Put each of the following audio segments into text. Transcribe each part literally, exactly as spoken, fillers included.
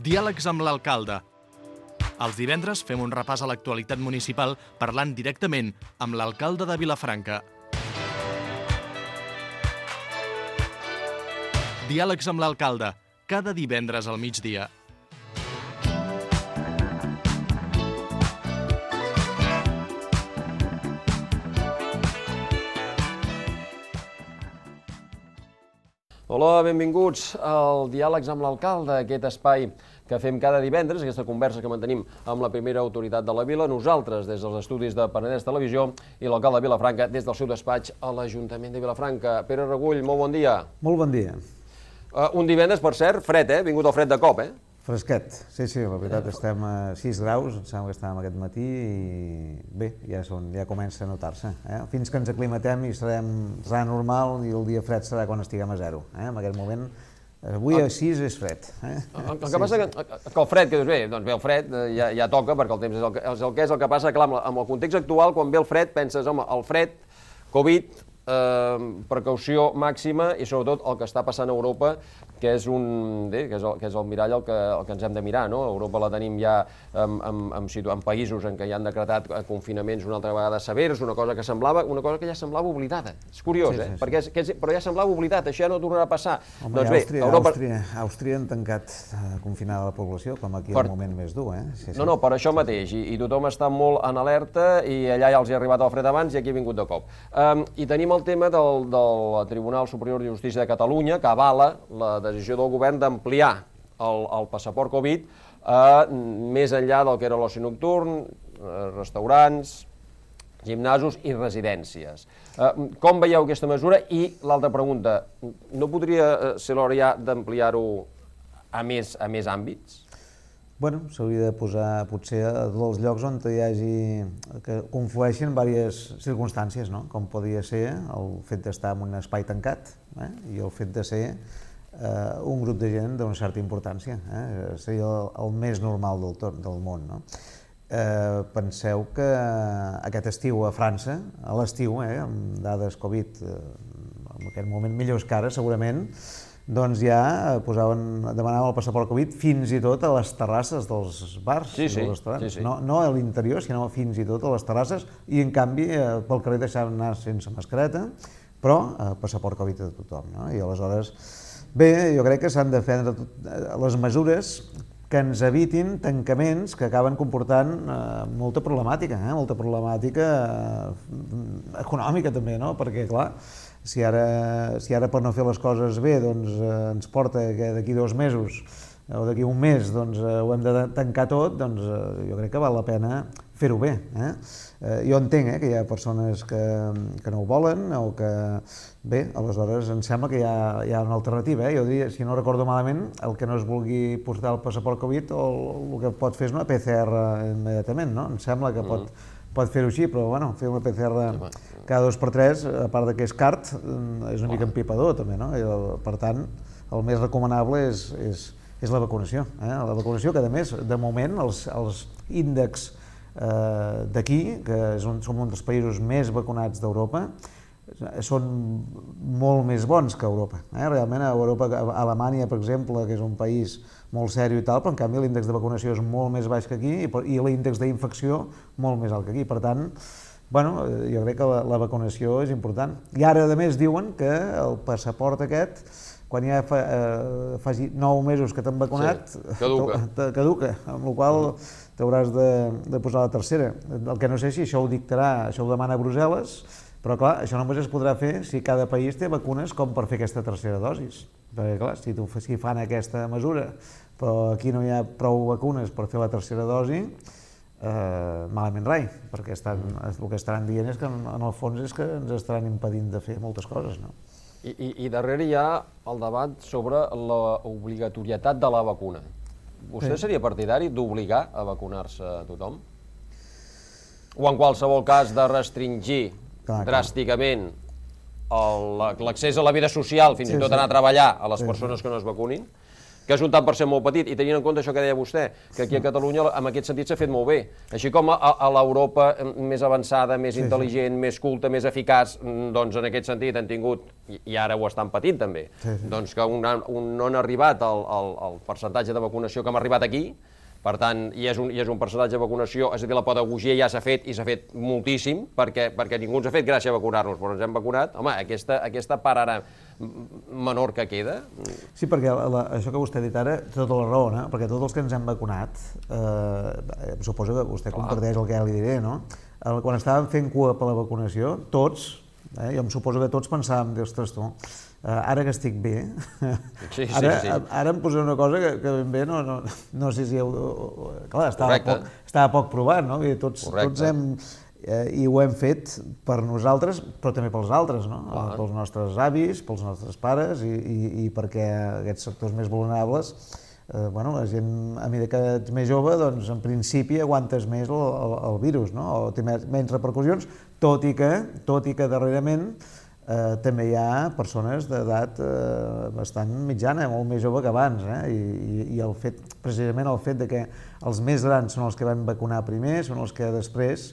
Diàlegs amb l'alcalde. Els divendres fem un repàs a l'actualitat municipal parlant directament amb l'alcalde de Vilafranca. Diàlegs amb l'alcalde, cada divendres al migdia. Hola, benvinguts al Diàlegs amb l'alcalde, aquest espai que fem cada divendres, aquesta conversa que mantenim amb la primera autoritat de la vila, nosaltres des dels estudis de Penedès Televisió i l'alcalde de Vilafranca des del seu despatx a l'Ajuntament de Vilafranca. Pere Regull, molt bon dia. Molt bon dia. Uh, un divendres, per cert, fred, eh? Vingut el fred de cop, eh? Fresquet, sí, sí, la veritat, estem a sis graus, em sembla que estàvem aquest matí i bé, ja, són, ja comença a notar-se. Eh? Fins que ens aclimatem i serem, serà normal i el dia fred serà quan estiguem a zero. Eh? En aquest moment, avui a sis és fred. Eh? El, el que sí, passa sí. que, que el fred, que dius bé, doncs bé, el fred ja, ja toca perquè el temps és el, que, és el que és, el que passa, clar, amb el context actual, quan ve el fred, penses, home, el fred, Covid, eh, precaució màxima i sobretot el que està passant a Europa, que és, un, bé, que és, el, que és el mirall el que, el que ens hem de mirar, no? Europa la tenim ja en, en, en, en països en què ja han decretat confinaments una altra vegada severs, una cosa que semblava, una cosa que ja semblava oblidada. És curiós, sí, sí, eh? Sí. Perquè és, que és, però ja semblava oblidat, això ja no tornarà a passar. Home, doncs bé, Àustria, Europa... Àustria, Àustria han tancat uh, confinada la població, com aquí per... el moment més dur, eh? Sí, sí. No, no, per això mateix, i, i tothom està molt en alerta, i allà ja els hi ha arribat el fred abans i aquí ha vingut de cop. Um, I tenim el tema del, del Tribunal Superior de Justícia de Catalunya, que avala la decisió del govern d'ampliar el, el passaport Covid eh, més enllà del que era l'oci nocturn, eh, restaurants, gimnasos i residències. Eh, com veieu aquesta mesura? I l'altra pregunta, no podria ser l'hora ja d'ampliar-ho a més, a més àmbits? Bueno, s'hauria de posar potser a tots els llocs on hi hagi, que conflueixen diverses circumstàncies, no? Com podria ser el fet d'estar en un espai tancat, eh? I el fet de ser Uh, un grup de gent d'una certa importància, eh? Seria el, el més normal del, tot, del món, no? Uh, penseu que aquest estiu a França, a l'estiu, eh, amb dades Covid, uh, en aquest moment millors que ara, segurament, doncs ja posaven, demanaven el passaport Covid fins i tot a les terrasses dels bars sí, i sí, dels restaurants. Sí, sí. No, no a l'interior, sinó fins i tot a les terrasses, i en canvi uh, pel carrer deixaven anar sense mascareta, però uh, passaport Covid a tothom, no? I aleshores, bé, jo crec que s'han de prendre les mesures que ens evitin tancaments que acaben comportant eh, molta problemàtica, eh? molta problemàtica eh, econòmica també, no? Perquè, clar, si ara, si ara per no fer les coses bé doncs, eh, ens porta que d'aquí dos mesos o d'aquí un mes doncs, eh, ho hem de tancar tot, doncs eh, jo crec que val la pena fer-ho bé. Eh? Eh, jo entenc eh, que hi ha persones que, que no ho volen o que... Bé, aleshores em sembla que hi ha, hi ha una alternativa. Eh? Jo diria, si no recordo malament, el que no es vulgui portar el passaport Covid o el, el que pot fer és una P C R immediatament, no? Em sembla que pot, pot fer-ho així, però bueno, fer una P C R cada dos per tres, a part que és cart, és una mica empipador també, no? I, per tant, el més recomanable és, és, és la vacunació. Eh? La vacunació que, a més, de moment, els, els índexs eh, d'aquí, que és un, som un dels països més vacunats d'Europa, són molt més bons que a Europa. Eh? Realment, a Europa, a Alemanya, per exemple, que és un país molt sèrio i tal, però en canvi l'índex de vacunació és molt més baix que aquí i, i l'índex d'infecció molt més alt que aquí. Per tant, bueno, jo crec que la, la vacunació és important. I ara, a més, diuen que el passaport aquest, quan ja fa, eh, faci nou mesos que t'han vacunat, sí, caduca. caduca, amb la qual t'hauràs de, de posar la tercera. El que no sé si això ho dictarà, això ho demana Brussel·les, però clar, això només es podrà fer si cada país té vacunes com per fer aquesta tercera dosis. Perquè clar, si, tu, si fan aquesta mesura, però aquí no hi ha prou vacunes per fer la tercera dosi, eh, malament rai, perquè estan, el que estaran dient és que en, en el fons és que ens estaran impedint de fer moltes coses, no? I, i, i darrere hi ha el debat sobre l'obligatorietat de la vacuna. Vostè sí. seria partidari d'obligar a vacunar-se a tothom? O en qualsevol cas de restringir clar, dràsticament l'accés a la vida social, fins sí, i tot sí. anar a treballar a les persones que no es vacunin? que és un tant per cent molt petit, i tenint en compte això que deia vostè, que aquí a Catalunya en aquest sentit s'ha fet molt bé. Així com a, a l'Europa més avançada, més intel·ligent, més culta, més eficaç, doncs en aquest sentit han tingut, i ara ho estan patint també, doncs que no han arribat al percentatge de vacunació que hem arribat aquí. Per tant, i és un, i és un percentatge de vacunació, és a dir, la pedagogia ja s'ha fet, i s'ha fet moltíssim, perquè, perquè ningú ens ha fet gràcia vacunar-nos, però ens hem vacunat. Home, aquesta, aquesta part ara menor que queda... Sí, perquè la, això que vostè ha dit ara, té tota la raó, no? Perquè tots els que ens hem vacunat, eh, suposo que vostè comparteix el que ja li diré, no? Quan estàvem fent cua per la vacunació, tots, eh, jo em suposo que tots pensàvem, ostres, tu, ara que estic bé, sí, sí, ara, sí. ara em posaré una cosa que, que ben bé no, no, no sé si heu... Clar, estava poc, estava poc provat, no? I tots, tots hem... Eh, I ho hem fet per nosaltres, però també pels altres, no? Clar. Pels nostres avis, pels nostres pares, i, i, i perquè aquests sectors més vulnerables, eh, bueno, la gent, a mesura que ets més jove, doncs en principi aguantes més el, el, el virus, no? O té menys repercussions, tot i que, tot i que darrerament Eh, també hi ha persones d'edat eh, bastant mitjana, molt més jove que abans, eh? I, i el fet, precisament el fet de que els més grans són els que van vacunar primer, són els que després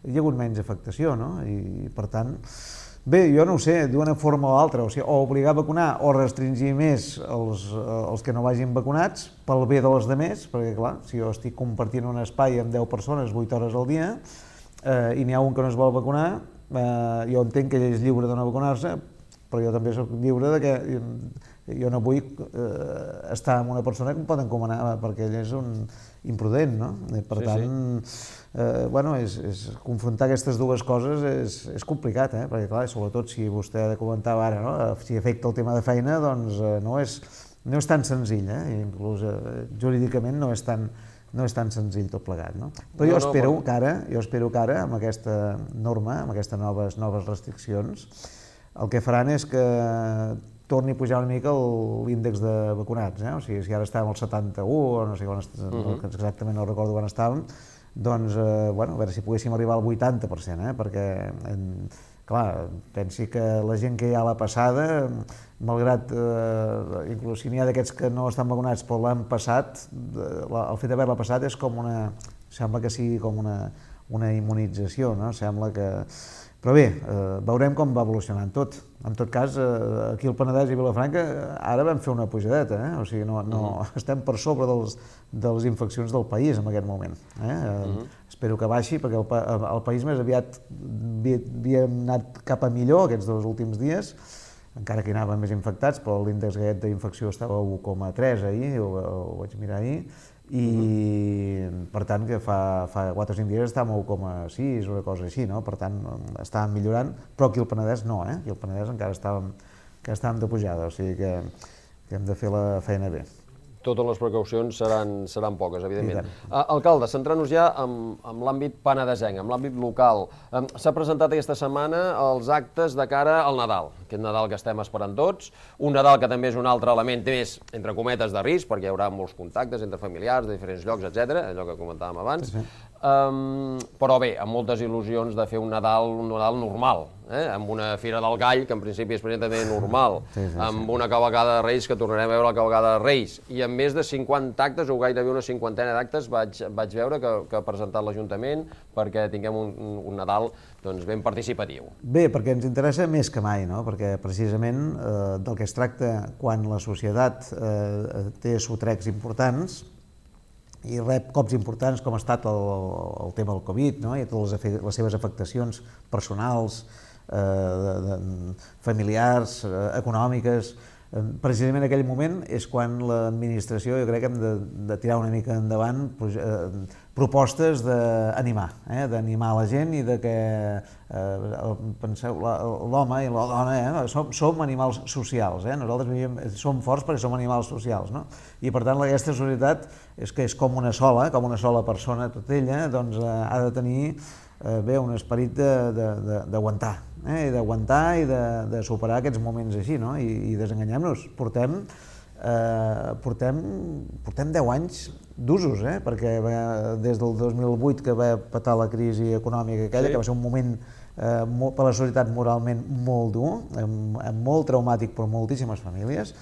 hi ha hagut menys afectació, no? I per tant, bé, jo no ho sé, d'una forma o altra, o sigui, o obligar a vacunar o restringir més els, els que no vagin vacunats pel bé dels altres, perquè clar, si jo estic compartint un espai amb deu persones vuit hores al dia eh, i n'hi ha un que no es vol vacunar, Uh, jo entenc que ell és lliure de no vacunar-se, però jo també soc lliure de que jo, jo no vull uh, estar amb una persona que em pot encomanar perquè ell és un imprudent, no? I per sí, tant, sí. Uh, bueno, és, és, confrontar aquestes dues coses és, és complicat, eh? Perquè clar, sobretot si vostè comentava ara, no? Si afecta el tema de feina, doncs uh, no, és, no és tan senzill, eh? Inclús uh, jurídicament no és tan no és tan senzill tot plegat, no? Però jo, no, espero, no, però... que ara, jo espero que ara, amb aquesta norma, amb aquestes noves, noves restriccions, el que faran és que torni a pujar una mica l'índex de vacunats, eh? O sigui, si ara estàvem al setanta-u, o no sé quan estàvem, uh-huh. exactament no recordo quan estàvem, doncs, eh, bueno, a veure si poguéssim arribar al vuitanta per cent, eh? Perquè, en, clar, pensi que la gent que hi ha a la passada, malgrat, eh, inclús si n'hi ha d'aquests que no estan vacunats però l'han passat, la, el fet d'haver-la passat és com una, sembla que sigui com una, una immunització, no? Sembla que... Però bé, eh, veurem com va evolucionant tot. En tot cas, eh, aquí al Penedès i Vilafranca ara vam fer una pujadeta, eh? O sigui, no, no, mm. estem per sobre dels, de les infeccions del país en aquest moment. Eh? Mm. Espero que baixi, perquè el, el país més aviat havia anat cap a millor aquests dos últims dies, encara que hi anaven més infectats, però l'índex d'infecció estava a u coma tres ahir, ho, ho vaig mirar ahir, i mm-hmm. per tant que fa, fa quatre o cinc dies estàvem a u coma sis o una cosa així, no? Per tant estàvem millorant, però aquí al Penedès no, eh? Aquí al Penedès encara estàvem, que estàvem de pujada, o sigui que, que hem de fer la feina bé. Totes les precaucions seran, seran poques, evidentment. Uh, alcalde, centrant-nos ja en, en l'àmbit penedesenc, en l'àmbit local. Um, S'ha presentat aquesta setmana els actes de cara al Nadal, aquest Nadal que estem esperant tots, un Nadal que també és un altre element més, entre cometes, de risc, perquè hi haurà molts contactes entre familiars de diferents llocs, etcètera, allò que comentàvem abans. Sí, sí. Um, però bé, amb moltes il·lusions de fer un Nadal, un Nadal normal, eh? Amb una Fira del Gall, que en principi és també normal, sí, sí, sí. Amb una cavalcada de Reis, que tornarem a veure la cavalcada de Reis, i amb més de cinquanta actes, o gairebé una cinquantena d'actes, vaig, vaig veure que, que ha presentat l'Ajuntament perquè tinguem un, un Nadal doncs, ben participatiu. Bé, perquè ens interessa més que mai, no? Perquè precisament eh, del que es tracta quan la societat eh, té sotrecs importants, i rep cops importants com ha estat el, el tema del Covid, no? I totes les, les seves afectacions personals, eh, de, de, familiars, eh, econòmiques. Eh, precisament en aquell moment és quan l'administració, jo crec que hem de, de tirar una mica endavant eh, propostes d'animar, eh, d'animar la gent i de que, eh, penseu, l'home i la dona, eh, som, som animals socials, eh, nosaltres vivim, som forts perquè som animals socials, no? I per tant aquesta societat és que és com una sola, com una sola persona, tot ella, doncs eh, ha de tenir eh, bé, un esperit d'aguantar, eh, d'aguantar i de, de superar aquests moments així, no? I, i desenganyem-nos, portem Eh, portem, portem deu anys d'usos, eh? Perquè va, des del dos mil vuit que va petar la crisi econòmica aquella, sí. Que va ser un moment per la societat moralment molt dur, molt traumàtic per moltíssimes famílies.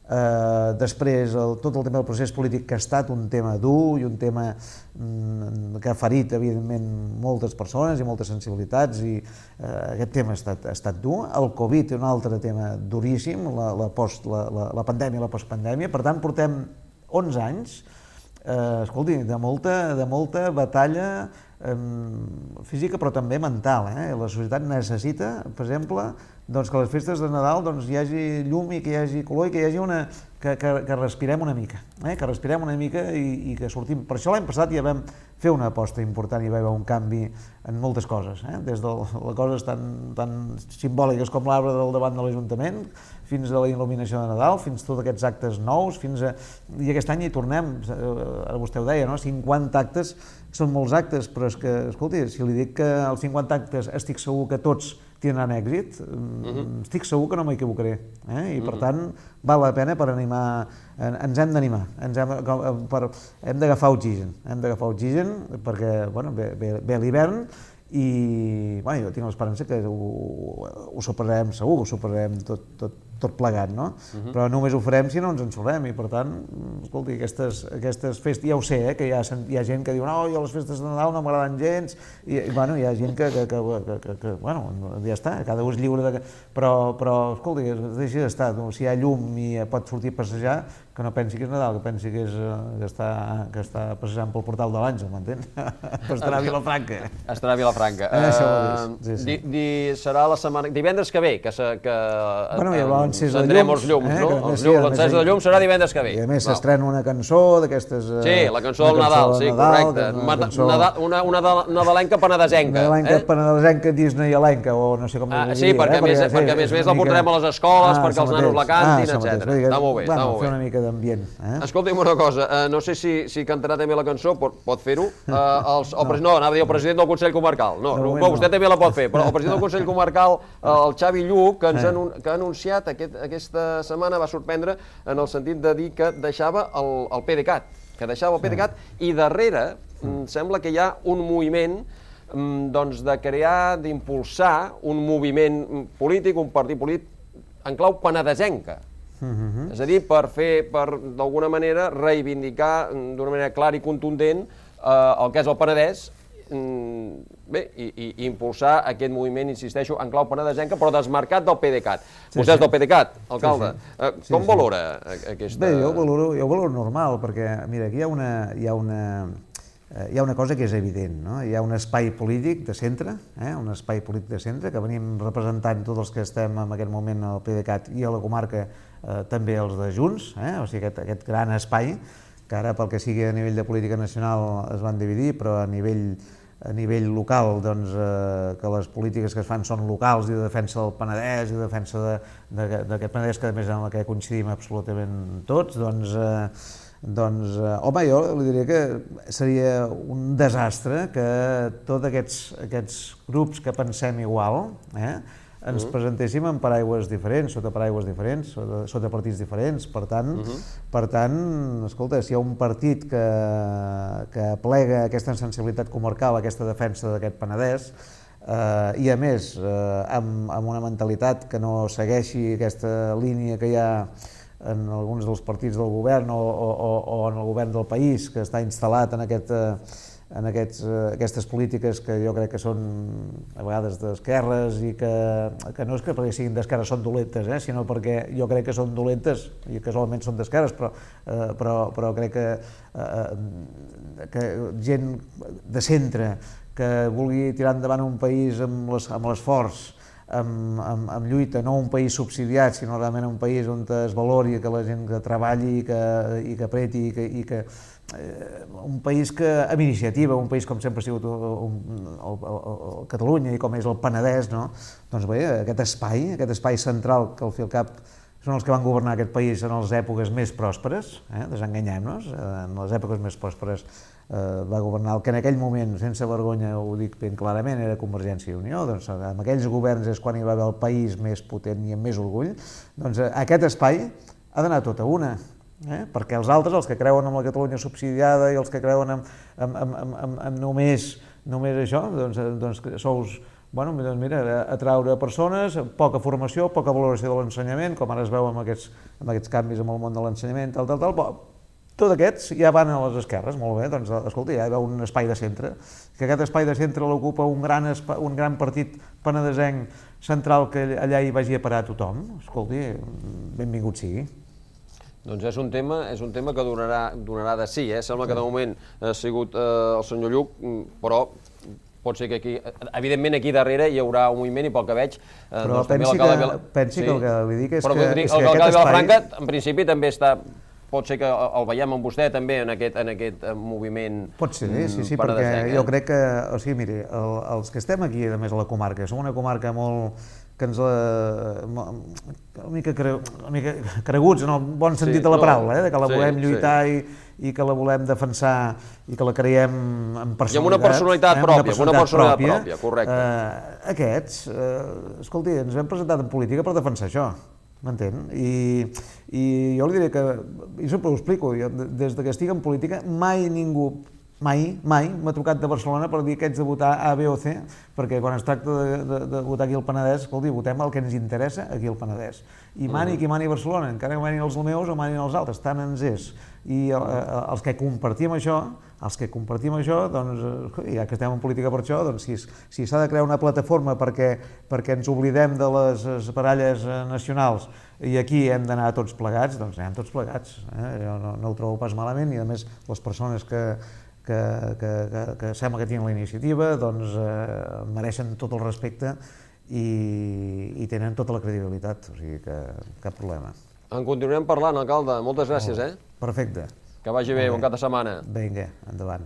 Uh, després el, tot el tema del procés polític, que ha estat un tema dur i un tema mm, que ha ferit evidentment moltes persones i moltes sensibilitats, i uh, aquest tema ha estat, ha estat dur. El Covid, un altre tema duríssim, la, la, post, la, la, la pandèmia i la postpandèmia. Per tant, portem onze anys, uh, escolti, de molta, de molta batalla um, física, però també mental. Eh? La societat necessita, per exemple, doncs que a les festes de Nadal doncs, hi hagi llum i que hi hagi color i que hi hagi una... que, que, que respirem una mica, eh? que respirem una mica i, i que sortim. Per això l'any passat ja vam fer una aposta important i va haver un canvi en moltes coses, eh? Des de les coses tan, tan simbòliques com l'arbre del davant de l'Ajuntament, fins a la il·luminació de Nadal, fins a tots aquests actes nous, fins a... I aquest any hi tornem, ara vostè ho deia, no? cinquanta actes, són molts actes, però és que, escolti, si li dic que els cinquanta actes estic segur que tots tindran èxit, uh-huh. estic segur que no m'equivocaré, eh? I per uh-huh. tant val la pena per animar, ens hem d'animar, ens hem, per, hem d'agafar oxigen, hem d'agafar oxigen perquè bueno, ve, ve, ve l'hivern i bueno, jo tinc l'esperança que ho, ho superarem segur, ho superarem tot, tot, tot plegat, no? Uh-huh. Però només ho farem si no ens ensolem i per tant, escolti, aquestes, aquestes festes, ja ho sé, eh, que hi ha, hi ha gent que diu no, jo les festes de Nadal no m'agraden gens i, i bueno, hi ha gent que, que, que, que, que, que bueno, ja està, cada un és lliure de... Però, però escolti, deixi d'estar, si hi ha llum i pot sortir a passejar, que no pensi que és Nadal, que pensi que, és, que, està, que està passejant pel portal de l'Àngel, m'entén? Estarà a Vilafranca. Estarà a Vilafranca. Eh, uh, sí, sí. Di, di, serà la setmana... Divendres que ve, que, se, que bueno, ja encendrem els llums, eh? no? Sí, l'encesa de llums serà divendres que ve. I a més s'estrena una cançó d'aquestes... Sí, la cançó del Nadal, sí, correcte. Una, una nadalenca penedesenca. Una nadalenca penedesenca disneyalenca, o no sé com ho diria. Sí, perquè a més a més la portarem a les escoles, perquè els nanos la cantin, etcètera. Està molt bé, està molt bé. Fer una mica d'ambient. Escolti'm una cosa, no sé si cantarà també la cançó, pot fer-ho. No, anava a dir el president del Consell Comarcal. No, vostè també la pot fer, però el president del Consell Comarcal, el Xavi Lluc, que ha anunciat aquesta setmana, va sorprendre en el sentit de dir que deixava el PDeCAT, que deixava el PDeCAT, i darrere sembla que hi ha un moviment de crear, d'impulsar un moviment polític, un partit polític en clau penedesenca. Uh-huh. És a dir, per fer, per d'alguna manera, reivindicar d'una manera clara i contundent eh, el que és el Penedès, bé, i, i, i impulsar aquest moviment, insisteixo, en clau penedesenca, però desmarcat del PDeCAT. Sí, Vostè és sí. del PDeCAT, alcalde. Sí, sí. Eh, com sí, valora sí. aquesta... Bé, jo ho valoro, jo ho valoro normal, perquè, mira, aquí hi ha una... Hi ha una... Hi ha una cosa que és evident, no? Hi ha un espai polític de centre, eh? un espai polític de centre, que venim representant tots els que estem en aquest moment al PDeCAT i a la comarca eh, també els de Junts, eh? O sigui, aquest, aquest gran espai, que ara pel que sigui a nivell de política nacional es van dividir, però a nivell, a nivell local, doncs, eh, que les polítiques que es fan són locals i de defensa del Penedès i de defensa d'aquest Penedès, que a més en la que coincidim absolutament tots, doncs... Eh, Doncs, home, jo li diria que seria un desastre que tots aquests, aquests grups que pensem igual eh, ens uh-huh. presentéssim en paraigües diferents, sota paraigües diferents, sota, sota partits diferents. Per tant, uh-huh. per tant, escolta, si hi ha un partit que, que plega aquesta sensibilitat comarcal, aquesta defensa d'aquest Penedès, eh, i a més eh, amb, amb una mentalitat que no segueixi aquesta línia que hi ha en alguns dels partits del govern o, o, o en el govern del país, que està instal·lat en, aquest, en aquests, aquestes polítiques que jo crec que són a vegades d'esquerres i que, que no és que perquè siguin d'esquerres són dolentes, eh, sinó perquè jo crec que són dolentes i casualment són d'esquerres, però, eh, però, però crec que, eh, que gent de centre que vulgui tirar endavant un país amb l'esforç, Amb, amb, amb lluita, no un país subsidiat, sinó realment un país on es valori que la gent que treballi i que, i que apreti i que, i que eh, un país que, amb iniciativa, un país com sempre ha sigut un, el, el, el Catalunya i com és el Penedès, no? Doncs bé, aquest espai, aquest espai central que al fi al cap són els que van governar aquest país en les èpoques més pròsperes, eh? Desenganyem-nos, en les èpoques més pròsperes eh, va governar el que en aquell moment, sense vergonya, ho dic ben clarament, era Convergència i Unió, doncs amb aquells governs és quan hi va haver el país més potent i amb més orgull, doncs aquest espai ha d'anar tot a una, eh? Perquè els altres, els que creuen en la Catalunya subsidiada i els que creuen en, en, en, en, en només, només això, doncs, doncs sous bueno, doncs mira, atraure persones, poca formació, poca valoració de l'ensenyament, com ara es veu amb aquests, amb aquests canvis en el món de l'ensenyament, tal, tal, tal, però tots aquests ja van a les esquerres, molt bé, doncs escolta, ja hi veu un espai de centre, que aquest espai de centre l'ocupa un gran, un gran partit penedesenc central que allà hi vagi a parar tothom, escolti, benvingut sigui. Doncs és un tema, és un tema que donarà, donarà de sí, eh? Sembla que de moment ha sigut eh, el senyor Lluc, però pot ser que aquí, evidentment aquí darrere hi haurà un moviment i pel que veig... Eh, però doncs, pensi, que, Vila... pensi sí. que el que li dic és però, que, dic, és el que aquest aquest espai... Vilafranca, en principi, també està... Pot ser que el veiem amb vostè també en aquest, en aquest moviment penedesenc. Pot ser, sí, sí, perquè eh? jo crec que, o sigui, miri, el, els que estem aquí, a més a la comarca, som una comarca molt... que ens la... una mica, cre... una mica creguts en el bon sentit sí, de la paraula, eh? De que la volem sí, lluitar sí. i, i que la volem defensar i que la creiem en personalitat. I amb una personalitat eh? pròpia, amb una personalitat pròpia, pròpia correcte. Eh, aquests, eh, escolti, ens hem presentat en política per defensar això. M'entén? I, I jo li diré que, i sempre ho explico, jo, des que estic en política mai ningú, mai, mai m'ha trucat de Barcelona per dir que ets de votar A, B o C, perquè quan es tracta de, de, de votar aquí al Penedès, escolti, votem el que ens interessa aquí al Penedès. I mani qui mani Barcelona, encara que manin els meus o manin els altres, tant ens és. I els que compartim això, els que compartim això, doncs, ja que estem en política per això, doncs si, si s'ha de crear una plataforma perquè, perquè ens oblidem de les baralles nacionals i aquí hem d'anar tots plegats, doncs anem tots plegats. Eh? Jo no, no ho trobo pas malament i a més les persones que, que, que, que, que sembla que tenen la iniciativa doncs eh, mereixen tot el respecte i, i tenen tota la credibilitat, o sigui que cap problema. En continuarem parlant, alcalde. Moltes gràcies, eh? Perfecte. Que vagi bé, bon cap de setmana. Vinga, endavant.